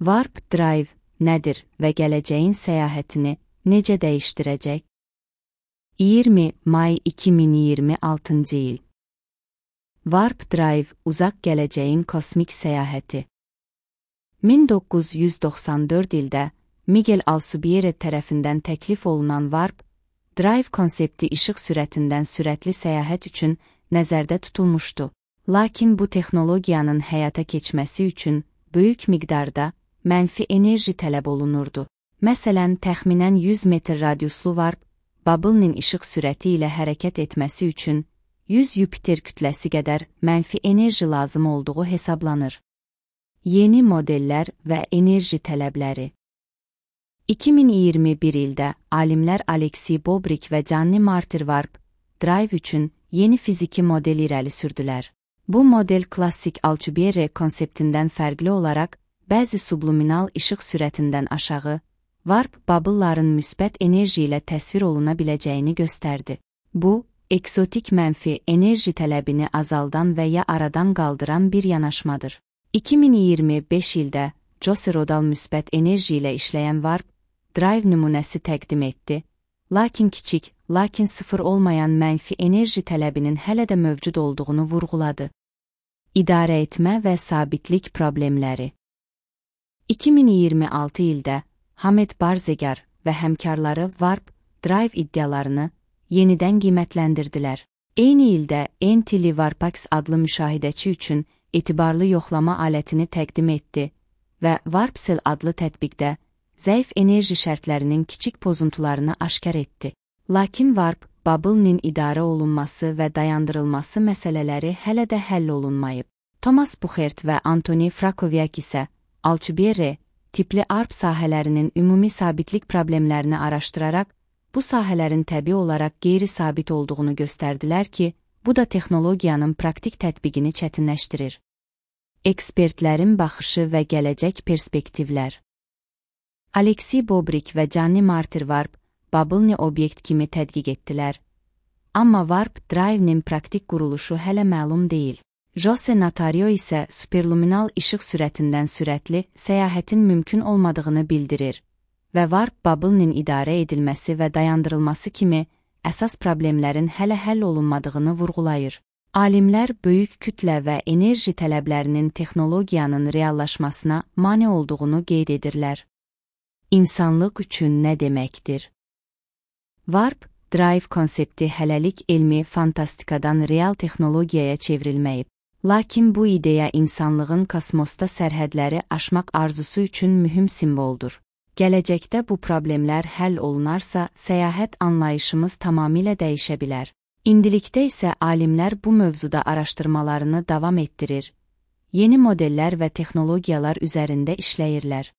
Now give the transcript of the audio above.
Warp Drive nədir və gələcəyin səyahətini necə dəyişdirəcək? 20 may 2026 il. Warp Drive uzaq gələcəyin kosmik səyahəti. 1994 ildə Miguel Alcubierre tərəfindən təklif olunan Warp Drive konsepti işıq sürətindən sürətli səyahət üçün nəzərdə tutulmuşdu. Lakin bu texnologiyanın həyata keçməsi üçün böyük miqdarda mənfi enerji tələb olunurdu. Məsələn, təxminən 100 metr radiuslu Warp Bubble'nin işıq sürəti ilə hərəkət etməsi üçün 100 Yupiter kütləsi qədər mənfi enerji lazım olduğu hesablanır. Yeni modellər və enerji tələbləri. 2021 ildə alimlər Alexey Bobrik və Gianni Martir Warp Drive üçün yeni fiziki model irəli sürdülər. Bu model klassik Alcubierre konseptindən fərqli olaraq bəzi subliminal işıq sürətindən aşağı Warp Bubble'ların müsbət enerji ilə təsvir oluna biləcəyini göstərdi. Bu, eksotik mənfi enerji tələbini azaldan və ya aradan qaldıran bir yanaşmadır. 2025 ildə Jose Rodal müsbət enerji ilə işləyən Warp Drive nümunəsi təqdim etdi, lakin kiçik, lakin sıfır olmayan mənfi enerji tələbinin hələ də mövcud olduğunu vurğuladı. İdarə etmə və sabitlik problemləri. 2026 ildə Hamed Barzegar və həmkarları Warp Drive iddialarını yenidən qiymətləndirdilər. Eyni ildə NTL Warpax adlı müşahidəçi üçün etibarlı yoxlama alətini təqdim etdi və WarpCell adlı tətbiqdə zəif enerji şərtlərinin kiçik pozuntularını aşkar etdi. Lakin Warp Bubble'nin idarə olunması və dayandırılması məsələləri hələ də həll olunmayıb. Thomas Buchert və Antoni Frakoviak isə Alcubierre tipli ARP sahələrinin ümumi sabitlik problemlərini araşdıraraq, bu sahələrin təbii olaraq qeyri-sabit olduğunu göstərdilər ki, bu da texnologiyanın praktik tətbiqini çətinləşdirir. Ekspertlərin baxışı və gələcək perspektivlər. Alexey Bobrik və Gianni Martir Warp Bubble'ni obyekt kimi tədqiq etdilər. Amma Warp Drive'nin praktik quruluşu hələ məlum deyil. Jose Natario isə superluminal işıq sürətindən sürətli səyahətin mümkün olmadığını bildirir və Warp Bubble'nin idarə edilməsi və dayandırılması kimi əsas problemlərin hələ həll olunmadığını vurğulayır. Alimlər böyük kütlə və enerji tələblərinin texnologiyanın reallaşmasına mane olduğunu qeyd edirlər. İnsanlıq üçün nə deməkdir? Warp Drive konsepti hələlik elmi fantastikadan real texnologiyaya çevrilməyib. Lakin bu ideya insanlığın kosmosda sərhədləri aşmaq arzusu üçün mühüm simvoldur. Gələcəkdə bu problemlər həll olunarsa, səyahət anlayışımız tamamilə dəyişə bilər. İndilikdə isə alimlər bu mövzuda araşdırmalarını davam etdirir, yeni modellər və texnologiyalar üzərində işləyirlər.